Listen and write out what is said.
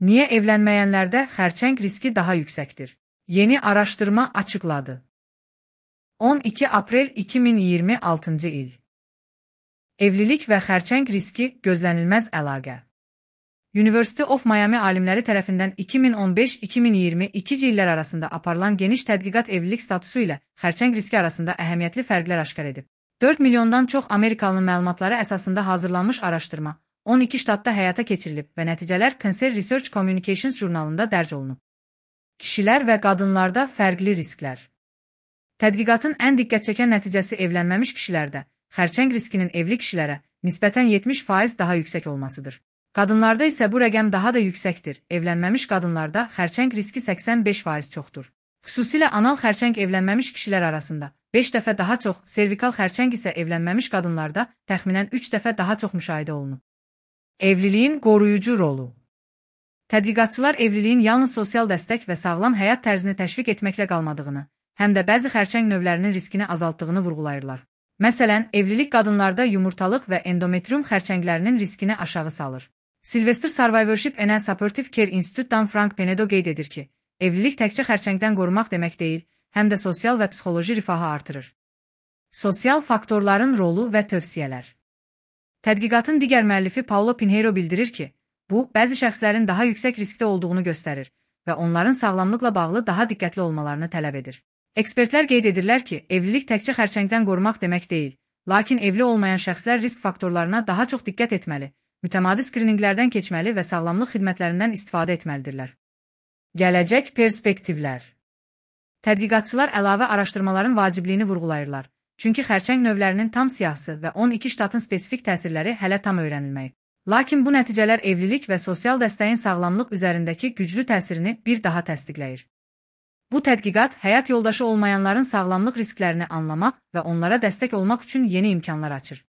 Niye evlənməyənlərdə xərçəng riski daha yüksəkdir? Yeni araşdırma açıqladı. 12 aprel 2026 il. Evlilik və xərçəng riski gözlənilməz əlaqə. University of Miami alimləri tərəfindən 2015-2022 illər arasında aparılan geniş tədqiqat evlilik statusu ilə xərçəng riski arasında əhəmiyyətli fərqlər aşkar edib. 4 milyondan çox Amerikalının məlumatları əsasında hazırlanmış araşdırma 12 ştatda həyata keçirilib və nəticələr Cancer Research Communications jurnalında dərc olunub. Kişilər və qadınlarda fərqli risklər. Tədqiqatın ən diqqət çəkən nəticəsi evlənməmiş kişilərdə xərçəng riskinin evli kişilərə nisbətən 70% daha yüksək olmasıdır. Qadınlarda isə bu rəqəm daha da yüksəkdir. Evlənməmiş qadınlarda xərçəng riski 85% çoxdur. Xüsusilə anal xərçəng evlənməmiş kişilər arasında 5 dəfə daha çox, servikal xərçəng isə evlənməmiş qadınlarda təxminən 3 dəfə daha çox müşahidə olunub. Evliliyin qoruyucu rolu. Tədqiqatçılar evliliyin yalnız sosial dəstək və sağlam həyat tərzini təşviq etməklə qalmadığını, həm də bəzi xərçəng növlərinin riskini azaltdığını vurğulayırlar. Məsələn, evlilik qadınlarda yumurtalıq və endometrium xərçənglərinin riskini aşağı salır. Sylvester Survivorship and Supportive Care Institute-dan Frank Penedo qeyd edir ki, evlilik təkcə xərçəngdən qorumaq demək deyil, həm də sosial və psixoloji rifahı artırır. Sosial faktorların rolu və tövsiyələr. Tədqiqatın digər müəllifi Paulo Pinheiro bildirir ki, bu, bəzi şəxslərin daha yüksək riskdə olduğunu göstərir və onların sağlamlıqla bağlı daha diqqətli olmalarını tələb edir. Ekspertlər qeyd edirlər ki, evlilik təkcə xərçəngdən qorumaq demək deyil, lakin evli olmayan şəxslər risk faktorlarına daha çox diqqət etməli, mütəmadi skrininqlərdən keçməli və sağlamlıq xidmətlərindən istifadə etməlidirlər. Gələcək perspektivlər. Tədqiqatçılar əlavə araşdırmaların vacibliyini vurğulayırlar, çünki xərçəng növlərinin tam siyahısı və 12 ştatın spesifik təsirləri hələ tam öyrənilməyib. Lakin bu nəticələr evlilik və sosial dəstəyin sağlamlıq üzərindəki güclü təsirini bir daha təsdiqləyir. Bu tədqiqat həyat yoldaşı olmayanların sağlamlıq risklərini anlamaq və onlara dəstək olmaq üçün yeni imkanlar açır.